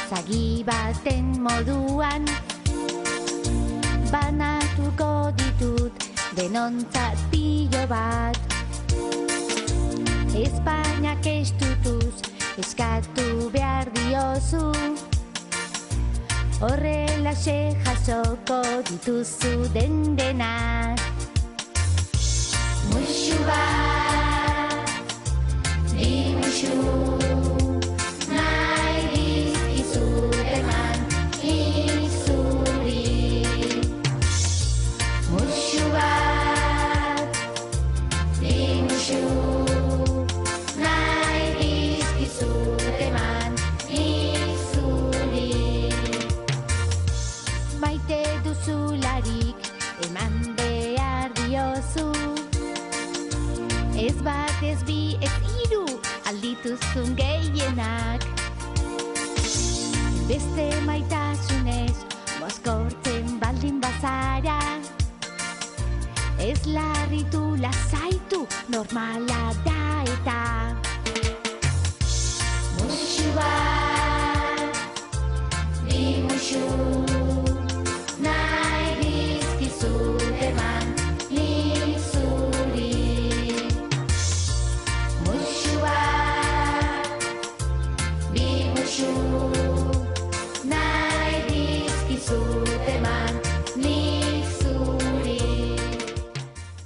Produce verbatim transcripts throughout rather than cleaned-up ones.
zagi baten moduan, banatuko ditut denontzat pilo bat. Espainiak estutuz eskatu behar diozu, horrelaxe jasoko dituzu den denak. Muxu bat, bi muxu, nahi dizkizut eman izuri. Muxu bat, bi muxu, nahi dizkizut eman izuri. Maite duzularik eman behar diozu, ez bat, ez bi, ez hiru, aldituzun gehienak. Beste maitasunez, mozkortzen baldin bazara, ez larritu lasaitu, normala da eta. Muxu bat, bi muxu, nahi dizkizut eman izuri. Muxu bat, bi muxu, nahi dizkizut eman izuri.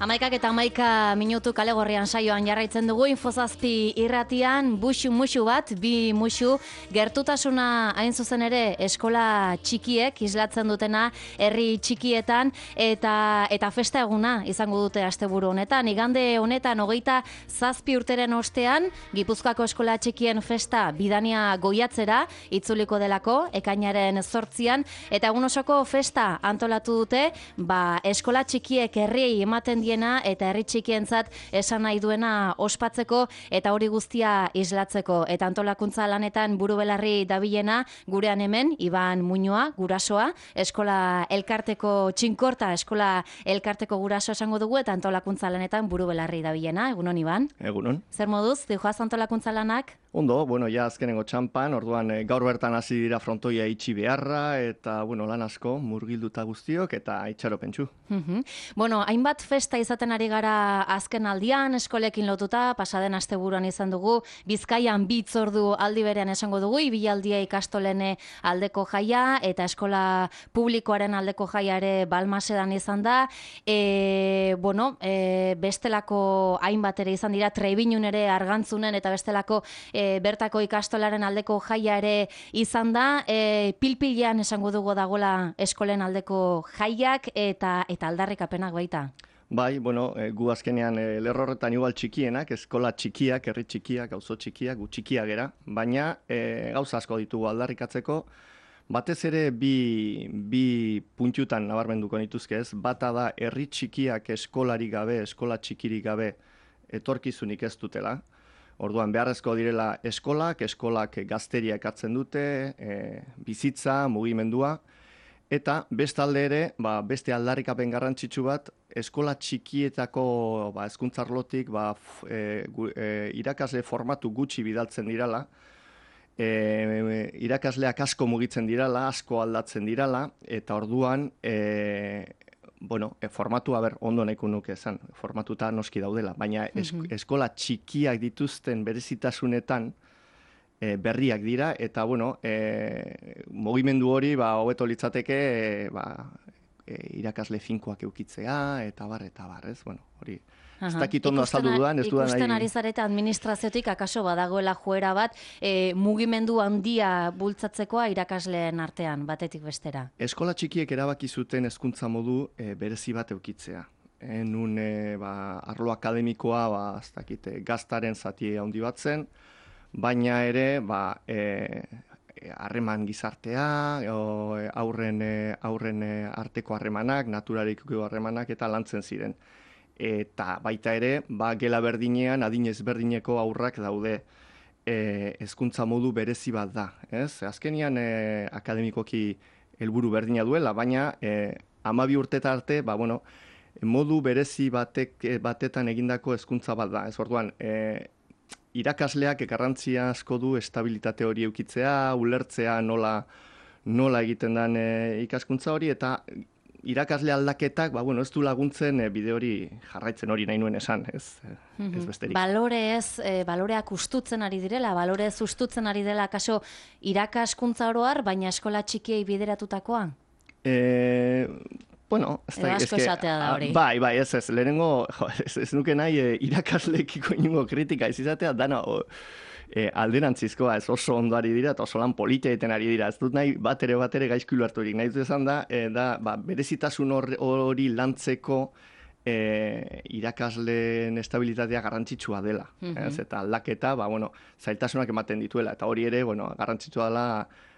Amaikak eta amaika minutu kale gorrian saioan jarraitzen dugu Infozazpi irratian, buxu muxu bat, bi muxu, gertutasuna hain zuzen ere eskola txikiek islatzen dutena herri txikietan eta eta festa eguna izango dute asteburu honetan. Igande honetan hogeita zazpi urteren ostean, Gipuzkoako eskola txikien festa bidania goiatzera itzuliko delako, ekainaren zortzian, eta egun osoko festa antolatu dute, ba, eskola txikiek herriei ematen die eta herri txikientzat esan nahi duena ospatzeko eta hori guztia islatzeko. Eta antolakuntza lanetan buru belarri dabilena gurean hemen, Iban Muñoa, gurasoa, eskola elkarteko txinkorta, eskola elkarteko guraso esango dugu, eta antolakuntza lanetan buru belarri dabilena. Egunon, Iban? Egunon. Zer moduz, dihoaz antolakuntza lanak? Ondo, bueno, ja azkenengo txampan, orduan e, gaur bertan hasi dira frontoia itxi beharra, eta, bueno, lan asko, murgilduta guztiok, eta itxaropentsu. Mm-hmm. Bueno, hainbat festa izaten ari gara azken aldian, eskolekin lotuta, pasaden asteburuan izan dugu, Bizkaian bi hitzordu aldi berean esango dugu, ibilaldia ikastolene aldeko jaia, eta eskola publikoaren aldeko jaia ere Balmasedan izan da, e, bueno, e, bestelako hainbat ere izan dira, Trebinun ere Argantzunen, eta bestelako e, bertako ikastolaren aldeko jaia ere izan da, e, pilpilean esango dugu dagoela eskolen aldeko jaiak, eta, eta aldarrikapenak baita. Bai, bueno, e, gu azkenean e, lerrorretan igual txikienak, eskola txikiak, herri txikiak, gauzo txikiak, gu txikiak gera, baina e, gauza asko ditugu aldarrikatzeko, batez ere bi, bi puntutan nabarmenduko nituzke ez, bata da herri txikiak eskolari gabe, eskola txikirik gabe etorkizunik ez dutela. Orduan beharrezko direla eskolak, eskolak gazteria ekartzen dute, e, bizitza, mugimendua, eta bestalde ere, ba, beste aldarrikapen garrantzitsu bat, eskola txikietako ba, hezkuntzarlotik ba, e, e, irakasle formatu gutxi bidaltzen dirala, e, irakasleak asko mugitzen dirala, asko aldatzen dirala, eta orduan, e, bueno, e, formatua ber ondo nahiko nuke esan, formatuta noski daudela, baina es, mm-hmm. eskola txikiak dituzten berezitasunetan e, berriak dira, eta bueno, e, mugimendu hori ba, hobeto litzateke e, ba, e, irakasle finkoak eukitzea, eta bar, eta bar, ez? Bueno, hori... Ez dakit ondo azaldu dudan, ez dudan nahi... Ikusten ari zareta administraziotik akaso badagoela joera bat e, mugimendu handia bultzatzekoa irakasleen artean, batetik bestera. Eskola txikiek erabaki zuten hezkuntza modu e, berezi bat eukitzea. E, nun e, ba, arlo akademikoa ba, ez dakit, gaztaren zati handi bat zen, baina ere ba, e, harreman gizartea, o, aurren, aurren arteko harremanak, naturariko harremanak eta lantzen ziren. Eta baita ere, ba, gela berdinean, adinez berdineko aurrak daude hezkuntza modu berezi bat da. Ez? Azkenian e, akademikoki helburu berdina duela, baina e, hamabi urteta arte, ba, bueno, modu berezi batek, batetan egindako hezkuntza bat da. Ez orduan, e, irakasleak garrantzia asko du estabilitate hori eukitzea, ulertzea nola, nola egiten den e, ikaskuntza hori, eta irakasle aldaketak, ba, bueno, ez du laguntzen e, bide hori jarraitzen hori nahi nuen esan, ez, mm-hmm. ez besterik. Balore ez, e, baloreak ustutzen ari direla, balore ez ustutzen ari dela kaso irakaskuntza oroar, baina eskola txikiei bideratutakoa? E, bueno, ez da, asko esatea da hori. Bai, bai, ez ez, lehenengo, jo, ez, ez nuke nahi e, irakaslekiko inungo kritika ez izatea, dana, o, E, alderantzizkoa, ez oso ondo ari dira, eta oso lan politia egiten ari dira. Ez dut nahi bat ere bat ere gaizkilu harturik. Nahi dut esan da, e, da ba, berezitasun hori lantzeko e, irakasleen estabilitatea garrantzitsua dela. Mm-hmm. Ez, eta aldaketa, ba, bueno, zailtasunak ematen dituela. Eta hori ere, bueno, garrantzitsua dela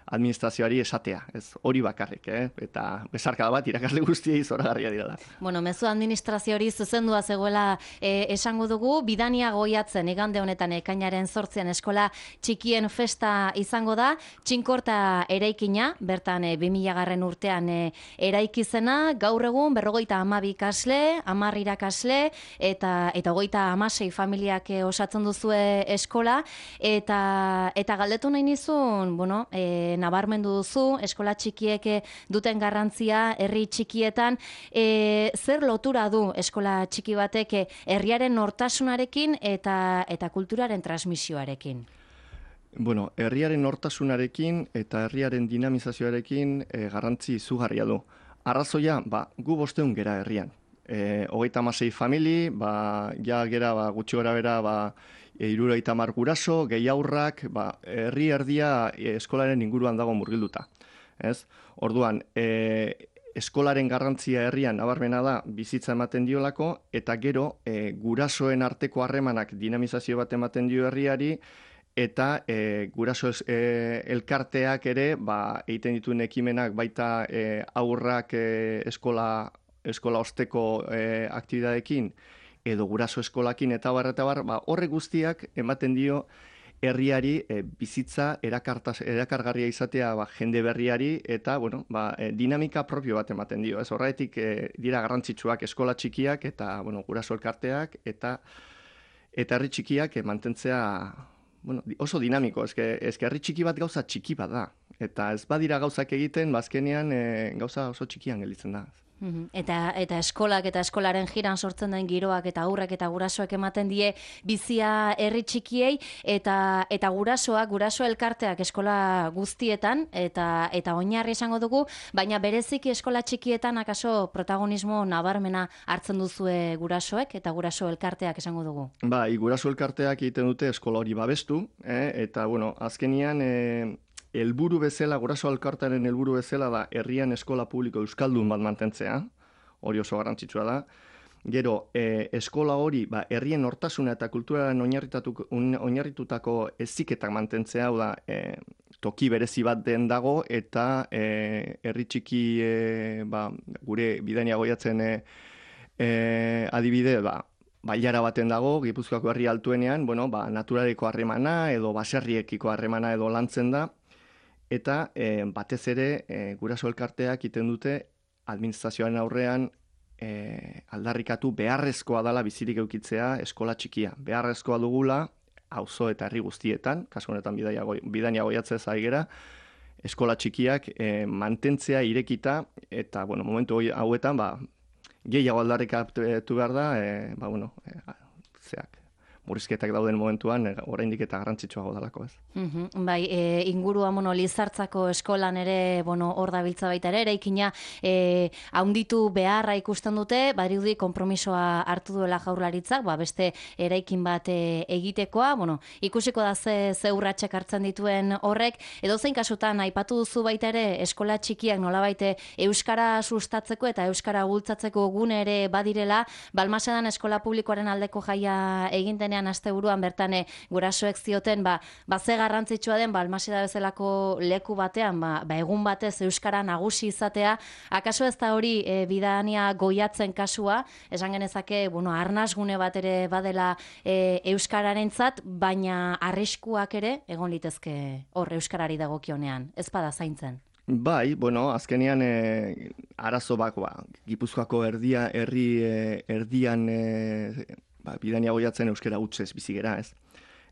administrazioari esatea, ez hori bakarrik, eh? Eta besarkada bat irakasle guztiei zoragarria direla. Bueno, mezu administrazio hori zuzendua zegoela e, esango dugu, Bidania Goiatzen igande honetan ekainaren zortzian eskola txikien festa izango da, Txinkorta eraikina, bertan e, bi mila garren urtean e, eraikizena, gaur egun berrogeita hamabi ikasle, hamar irakasle, eta eta hogeita hamasei familiak e, osatzen duzue eskola, eta eta galdetu nahi nizun, bueno, e, nabarmendu duzu, eskola txikiek duten garrantzia herri txikietan, e, zer lotura du eskola txiki batek herriaren nortasunarekin eta eta kulturaren transmisioarekin? Bueno, herriaren nortasunarekin eta herriaren dinamizazioarekin e, garrantzi izugarria du. Arrazoia, ba, gu bosteun gera herrian. E, hogeita hamasei famili, ba, ja gera ba, gutxi gora bera, ba, hirurogeita hamar guraso, gehi aurrak, ba, herri erdia e, eskolaren inguruan dago murgilduta. Ez? Orduan, e, eskolaren garrantzia herrian nabarmena da bizitza ematen diolako, eta gero e, gurasoen arteko harremanak dinamizazio bat ematen dio herriari, eta e, guraso es, e, elkarteak ere, ba, egiten dituen ekimenak baita e, aurrak e, eskola, eskola osteko e, aktibidadekin, edo guraso eskolakin eta bar, eta bar, ba, horre guztiak ematen dio herriari e, bizitza erakartaz, erakargarria izatea ba, jende berriari eta bueno, ba, e, dinamika propio bat ematen dio. Ez horretik e, dira garrantzitsuak eskola txikiak eta bueno, guraso elkarteak eta eta herri txikiak e, mantentzea bueno, oso dinamiko. Eske, eske herri txiki bat gauza txiki bat da. Eta ez badira gauzak egiten, bazkenean e, gauza oso txikian gelditzen da. Eta, eta eskolak eta eskolaren jiran sortzen den giroak eta aurrek eta gurasoak ematen die bizia herri txikiei eta eta gurasoak, guraso elkarteak eskola guztietan eta eta oinarri esango dugu, baina bereziki eskola txikietan akaso protagonismo nabarmena hartzen duzue gurasoek eta guraso elkarteak esango dugu. Bai, guraso elkarteak egiten dute eskola hori babestu, eh? Eta bueno, azkenian eh... helburu bezala, guraso elkartearen helburu bezala da herrian eskola publiko euskaldun bat mantentzea, hori oso garrantzitsua da. Gero, e, eskola hori, ba, herrien nortasuna eta kulturaren oinarritutako heziketak mantentzea, hau da, e, toki berezi bat den dago, eta e, herri txiki, e, ba, gure Bidania Goiatzen e, e, adibide, ba, bailara baten dago, Gipuzkoako herri altuenean, bueno, ba, naturaleko harremana edo baserriekiko harremana edo lantzen da, eta e, batez ere e, guraso elkarteak egiten dute administrazioaren aurrean e, aldarrikatu beharrezkoa dela bizirik eukitzea eskola txikia. Beharrezkoa dugula, auzo eta herri guztietan, kasu honetan Bidania Goiatzez ari gera, eskola txikiak e, mantentzea irekita, eta bueno, momentu hauetan ba, gehiago aldarrikatu behar da, e, ba, bueno, e, zeak. Murrizketak dauden momentuan, oraindik eta garrantzitsuago dalako, ez. Mm-hmm. Bai, e, ingurua mono Lizartzako eskolan ere, bueno, hor dabiltza baita ere, eraikina e, haunditu beharra ikusten dute, badirudi konpromisoa hartu duela Jaurlaritzak, ba, beste eraikin bat e, egitekoa, bueno, ikusiko da ze, ze urratsak hartzen dituen horrek, edo zein kasutan, aipatu duzu baita ere, eskola txikiak nolabait euskara sustatzeko eta euskara bultzatzeko gune ere badirela, Balmasedan eskola publikoaren aldeko jaia egin denean asteburuan bertan e, gurasoek zioten ba, ba ze garrantzitsua den Balmaseda bezalako leku batean ba, ba egun batez euskara nagusi izatea, akaso ez da hori e, Bidania Goiatzen kasua, esan genezake, bueno, arnasgune bat ere badela e, euskararentzat, baina arriskuak ere egon litezke hor euskarari dagokionean, ez bada zaintzen. Bai, bueno, azkenean e, arazo bako, ba, Gipuzkoako erdia, herri e, erdian e, ba, Bidania Goiatzen euskara hutsez bizigera, ez.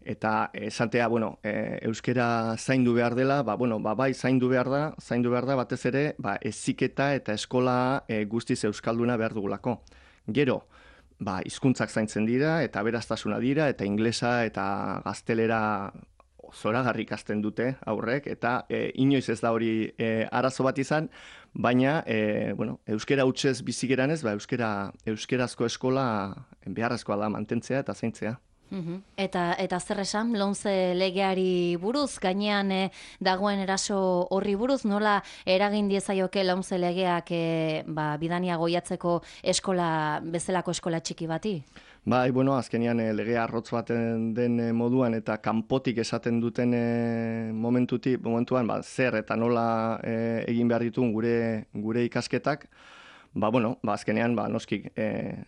Eta esatea, bueno, e, euskera zaindu behar dela, ba, bueno, ba, bai zaindu behar da, zaindu behar da batez ere, ba, heziketa eta eskola e, guztiz euskalduna behar dugulako. Gero, ba, hizkuntzak zaintzen dira, eta aberastasuna dira, eta inglesa eta gaztelera zoragarri ikasten dute aurrek, eta e, inoiz ez da hori e, arazo bat izan, baina, e, bueno, euskera hutsez bizi geranez, ba, euskera, euskerazko eskola beharrezkoa da mantentzea eta zaintzea. Uhum. Eta, eta zer esan, lomze legeari buruz, gainean eh, dagoen eraso horri buruz, nola eragin diezaioke lomze legeak eh, ba, bidania goiatzeko eskola, bezalako eskola txiki bati? Bai, bueno, azkenean e, legea arrotz baten den e, moduan eta kanpotik esaten duten e, momentutik, momentuan, ba, zer eta nola e, egin behar ditun gure, gure ikasketak, ba, bueno, ba, azkenean, ba, noskik, e,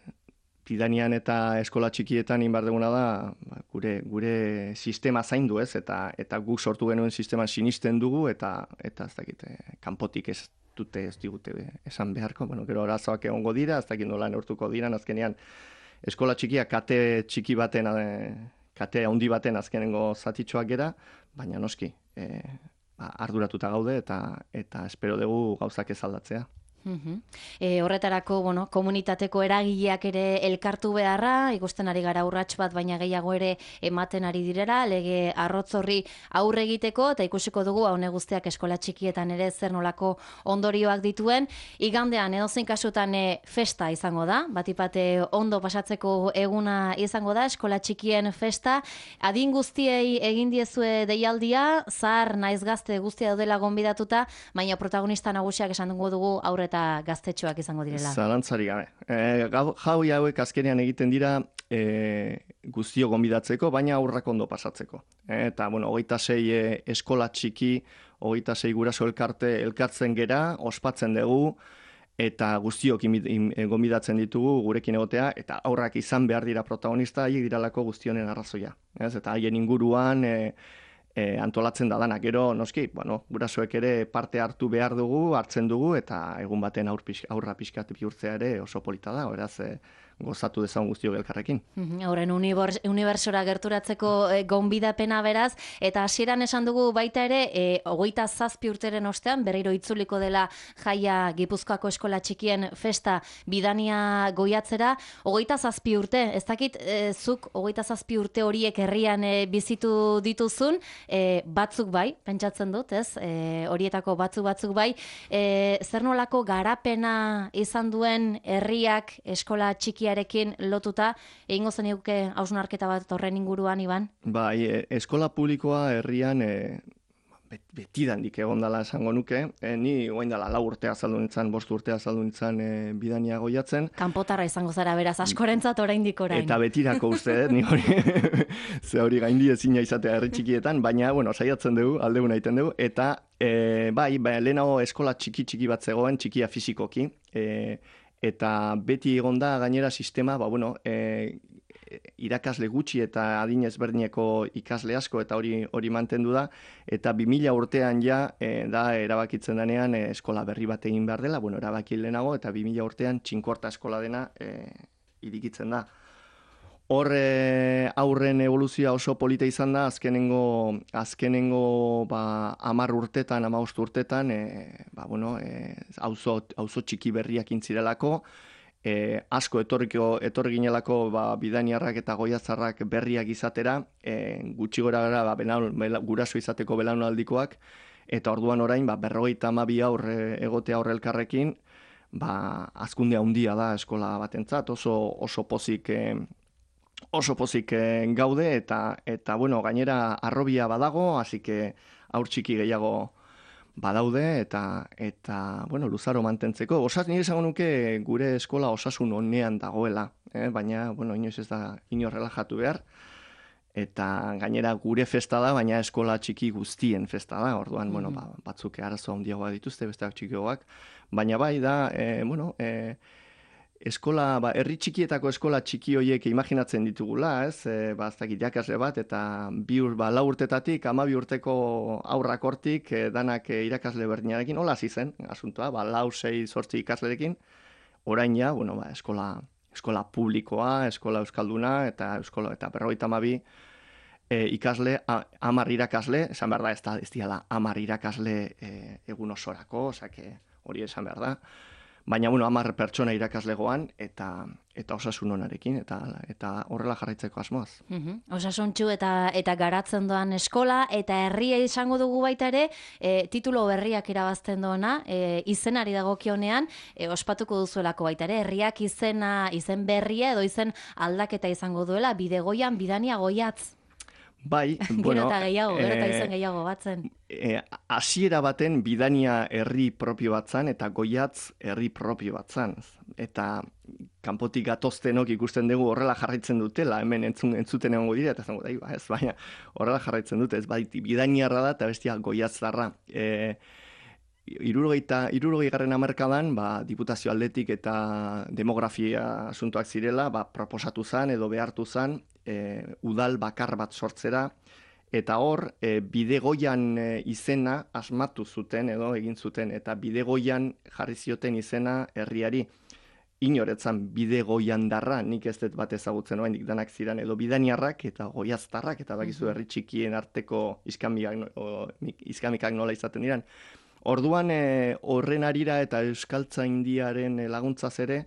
Bidanian eta eskola txikietan inbar duguna da ba, gure gure sistema zaindu, ez, eta eta guk sortu genuen sistema sinisten dugu eta eta ez dakit kanpotik ez dute ez digute esan beharko, bueno, gero arazoak egongo dira, ez dakit nola neurtuko dira, azkenean eskola txikia kate txiki baten kate handi baten azkenengo zatitxoak gera, baina noski, e, ba, arduratuta gaude eta eta espero dugu gauzak ez aldatzea. Uhum. E, horretarako, bueno, komunitateko eragileak ere elkartu beharra, ikusten ari gara urrats bat, baina gehiago ere ematen ari direra, lege arrotz horri aurre egiteko, eta ikusiko dugu haune guztiak eskola txikietan ere zer nolako ondorioak dituen. Igandean, edozein kasutan e, festa izango da, batipate ondo pasatzeko eguna izango da, eskola txikien festa, adin guztiei egin diezue deialdia, zahar naiz gazte guztia daudela gonbidatuta, baina protagonista nagusiak esan dugu aurreta gaztetxoak izango direla. Zalantzari gabe. E, jaui hauek azkenean egiten dira e, guztio gonbidatzeko, baina aurrak ondo pasatzeko. E, eta, bueno, hogeita sei e, eskola txiki, hogeita sei guraso elkarte elkartzen gera, ospatzen dugu, eta guztiok gonbidatzen ditugu gurekin egotea, eta aurrak izan behar dira protagonista, haiek diralako guztionen arrazoia. Ez? Eta haien inguruan e, E, antolatzen da danak. Gero, noski, bueno, gurasoek ere parte hartu behar dugu, hartzen dugu, eta egun baten aur pix, aurra pixkat bihurtzea ere oso polita da, beraz, e, gozatu dezagun guztiok elkarrekin. Horren unibertsora gerturatzeko e, gonbidapena beraz, eta hasieran esan dugu baita ere, e, hogeita zazpi urteren ostean, berriro itzuliko dela jaia Gipuzkoako eskola txikien festa bidania goiatzera, hogeita zazpi urte, ez dakit, e, zuk hogeita zazpi urte horiek herrian e, bizitu dituzun, e, batzuk bai, pentsatzen dut, ez, e, horietako batzuk batzuk bai, e, zer nolako garapena izan duen herriak eskola txiki arekin lotuta, egingo zeniguke hausnarketa bat horren inguruan, Iban? Bai, e, eskola publikoa herrian e, betidandik egon dela esango nuke. E, ni oain dela lau urtea azaldu nintzen, bost urtea azaldu nintzen e, bidania goiatzen. Kanpotarra izango zara beraz, askorentzat oraindik orain. Eta betirako uste, ni hori, ze hori gaindi ezina izatea herri txikietan, baina, bueno, saiatzen dugu, aldeguna egiten dugu, eta e, bai, bai, lehenago eskola txiki-txiki bat zegoen, txikia fisikoki, e, eta beti egon da gainera sistema, ba, bueno, e, irakasle gutxi eta adin ezberdineko ikasle asko eta hori hori mantendu da, eta bi mila urtean ja e, da erabakitzen denean e, eskola berri bat egin behar dela, bueno, erabaki lehenago, eta bi mila urtean txinkorta eskola dena e, irikitzen da. Hor e, aurren evoluzioa oso polita izan da, azkenengo, azkenengo ba, amar urtetan, amabost urtetan, e, ba, bueno, e, auzo, auzo txiki berriak intzirelako, e, asko etorriko, etorri ginelako ba, bidaniarrak eta goiatzarrak berriak izatera, e, gutxi gora gara ba, belaun, bela, guraso izateko belaunaldikoak, eta orduan orain ba, berrogeita hamabi aurre egotea horre elkarrekin, ba, hazkunde handia da eskola batentzat, oso, oso pozik... E, oso pozik gaude eta eta bueno, gainera arrobia badago, así que aur txiki gehiago badaude eta eta bueno, luzaro mantentzeko. Osas nire esango nuke gure eskola osasun onean dagoela, eh? Baina bueno, inoiz ez da inor relajatu behar. Eta gainera gure festa da, baina eskola txiki guztien festa da. Orduan, mm-hmm. bueno, ba, batzuk arazo handiagoa dituzte, besteak txikiagoak, baina bai da, eh, bueno, eh, eskola, ba, herri txikietako eskola txiki horiek imaginatzen ditugula, ez? E, ba, ez dakit jakasle bat, eta bi ur, ba, lau urtetatik, ama bi urteko aurrak hortik, e, danak e, irakasle berdinarekin, hola hasi zen, asuntoa, ba, lau, sei, zortzi ikaslerekin, orain ja, bueno, ba, eskola, eskola publikoa, eskola euskalduna, eta eskola, eta berrogeita hamabi e, ikasle, a, amar irakasle, esan behar da, ez da, ez diala, amar irakasle e, egun osorako, osake, hori esan behar da. Baina, bueno, amar pertsona irakaslegoan eta eta osasun onarekin, eta eta horrela jarraitzeko asmoaz. Mhm. Osasuntsu eta eta garatzen doan eskola, eta herria izango dugu baita ere, e, titulo berriak irabazten doana, e, izenari dagokionean, e, ospatuko duzuelako baita ere, herriak izena, izen berria edo izen aldaketa izango duela, Bidegoian Bidania Goiatz. Bai, Gero bueno, eta gehiago, gero eta eh, izen gehiago batzen. E, hasiera baten Bidania herri propio bat zan, eta Goiatz herri propio bat zan. Eta kanpotik gatoztenok ikusten dugu horrela jarraitzen dutela, hemen entzun, entzuten egongo dira, eta zango da, ba, ez, baina horrela jarraitzen dute, ez baiti Bidaniarra da, eta bestia Goiatzarra. E, Irurogeita, irurogei garren hamarkadan, ba, diputazio aldetik eta demografia asuntoak zirela, ba, proposatu zan edo behartu zan, e, udal bakar bat sortzera, eta hor, e, Bidegoian e, izena asmatu zuten edo egin zuten, eta Bidegoian jarri zioten izena herriari. Inoretzan Bidegoian darra, nik ez dut bat ezagutzen oraindik danak ziren, edo Bidaniarrak eta Goiaztarrak, eta bakizu herri txikien arteko iskamikak, o, iskamikak nola izaten diran. Orduan e, horren arira eta euskaltzaindiaren laguntzaz ere,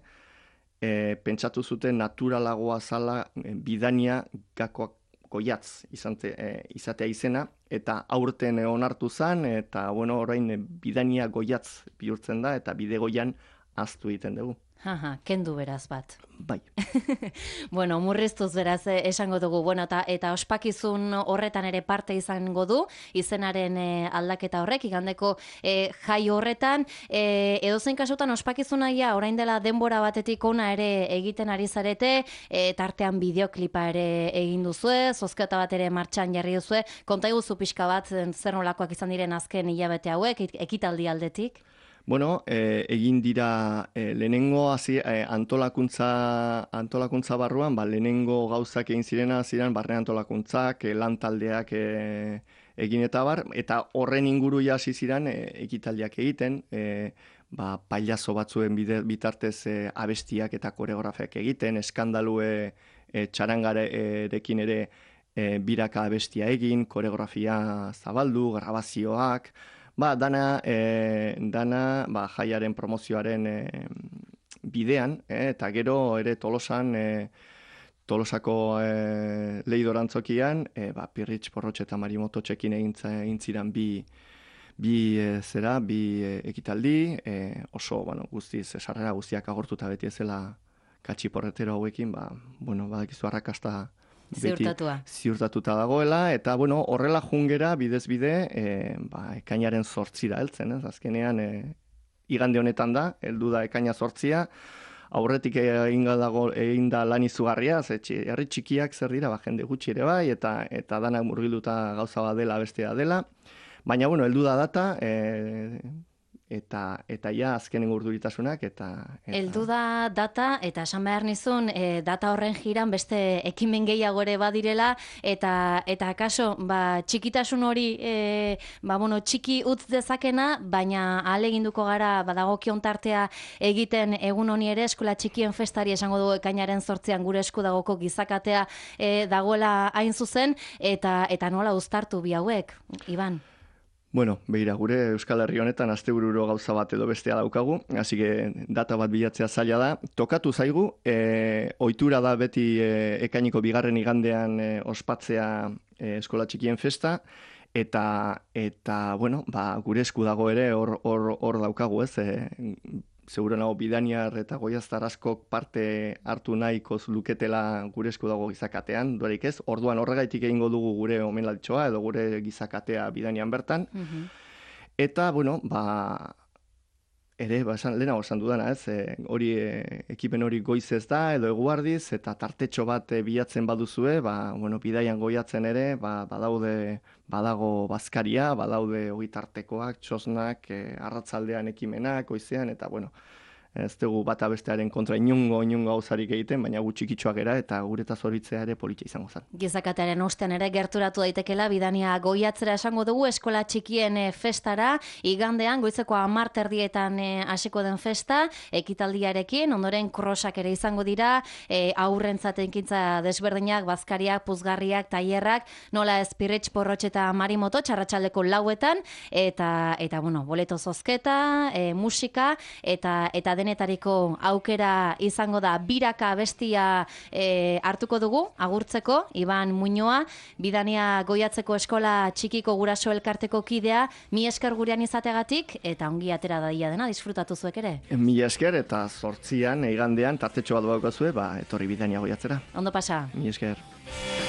e, pentsatu zuten naturalagoa zala e, Bidania gakoak Goiatz izante, e, izatea izena, eta aurten onartu zen, eta bueno, orain e, Bidania Goiatz bihurtzen da, eta Bidegoian ahaztu egiten dugu. Haha, kendu beraz bat. Bai. Bueno, murriztuz beraz eh, esango dugu. Bueno, eta, eta ospakizun horretan ere parte izango du, izenaren eh, aldaketa horrek, igandeko eh, jai horretan. Eh, edozein kasutan ospakizunaia orain dela denbora batetik ona ere egiten ari zarete, eh, tartean bideoklipa ere egin duzue, zozketa bat ere martxan jarri duzue. Konta iguzu pixka bat zer nolakoak izan diren azken hilabete hauek, ekitaldi aldetik? Bueno, eh, egin dira eh, lehenengo hasi eh, antolakuntza antolakuntza barruan, ba, lehenengo gauzak egin zirena ziren barne antolakuntzak, eh, lan taldeak eh, egin eta bar, eta horren inguru hasi ziren eh, ekitaldiak egiten, eh, ba, pailazo batzuen bide, bitartez eh, abestiak eta koreografiak egiten, eskandalu eh, eh, txarangarekin ere eh, biraka abestia egin, koreografia zabaldu, grabazioak. Ba, dana, e, dana ba, jaiaren promozioaren e, bidean, e, eta gero ere Tolosan, e, Tolosako e, leidorantzokian, e, ba, Pirritx, Porrotx eta Marimoto txekin egin ziren bi, bi e, zera, bi e, ekitaldi, e, oso, bueno, guztiz, sarrera guztiak agortuta beti ezela katxiporretero hauekin, ba, bueno, badakizu arrakasta Ziurtatua. Ziurtatuta dagoela, eta bueno, horrela jungera bidez bide, e, ba, ekainaren zortzira heltzen, ez? Azkenean, e, igande honetan da, heldu da ekaina zortzia, aurretik egin dago egin da lan izugarria, ze herri txikiak zer dira, ba, jende gutxi ere bai, eta eta danak murgilduta gauza bat dela, bestea dela, baina bueno, heldu da data, e, eta eta ja azkenen urduritasunak eta, eta... Heldu da data, eta esan behar nizun, e, data horren jiran beste ekimen gehiago ere badirela, eta eta akaso, ba, txikitasun hori e, ba, bueno, txiki utz dezakena, baina ahaleginduko gara badagokion tartea egiten egun honi ere, eskola txikien festari esango dugu ekainaren zortzian gure esku dagoko gizakatea e, dagoela hain zuzen, eta eta nola uztartu bi hauek, Iban? Bueno, begira, gure Euskal Herri honetan astebururo gauza bat edo bestea daukagu, hasi que data bat bilatzea zaila da. Tokatu zaigu, e, ohitura da beti e, ekainiko bigarren igandean e, ospatzea e, eskola txikien festa, eta, eta bueno, ba, gure esku dago ere hor, hor, hor daukagu, ez? E, seguro nago Bidaniar eta Goiaztar askok parte hartu nahiko luketela gure esku dago gizakatean, duarik ez, orduan horregaitik egingo dugu gure omenalditxoa edo gure gizakatea Bidanian bertan. Mm-hmm. Eta, bueno, ba, ere, ba, esan, lehenago esan dudana, ez, e, hori e, ekipen hori goizez da edo eguardiz, eta tartetxo bat e, bilatzen baduzue, ba, bueno, bidaian goiatzen ere, ba, badaude, badago bazkaria, badaude hori tartekoak, txosnak, e, arratzaldean ekimenak, goizean, eta, bueno, ez dugu bata bestearen kontra inungo, inungo gauzarik egiten, baina gu txikitxoak gera eta gureta zoritzea ere politxa izango zen. Gizakatearen ostean ere gerturatu daitekela bidania goiatzera esango dugu eskola txikien e, festara, igandean goizeko hamar erdietan e, hasiko den festa, ekitaldiarekin, ondoren krosak ere izango dira, e, aurrentzat ekintza desberdinak, bazkariak, puzgarriak, tailerrak, nola ez pirritx, porrotx eta marimoto, txarratxaldeko lauetan, eta, eta bueno, boleto zozketa, e, musika, eta, eta denetariko aukera izango da biraka bestia e, hartuko dugu, agurtzeko, Iban Muñoa, bidania goiatzeko eskola txikiko guraso elkarteko kidea, mi esker gurean izategatik, eta ongi atera daia dena, disfrutatu zuek ere. Mi esker eta zortzian, igandean, tartetxo bat daukazue, ba, etorri bidania goiatzera. Ondo pasa. Mi esker.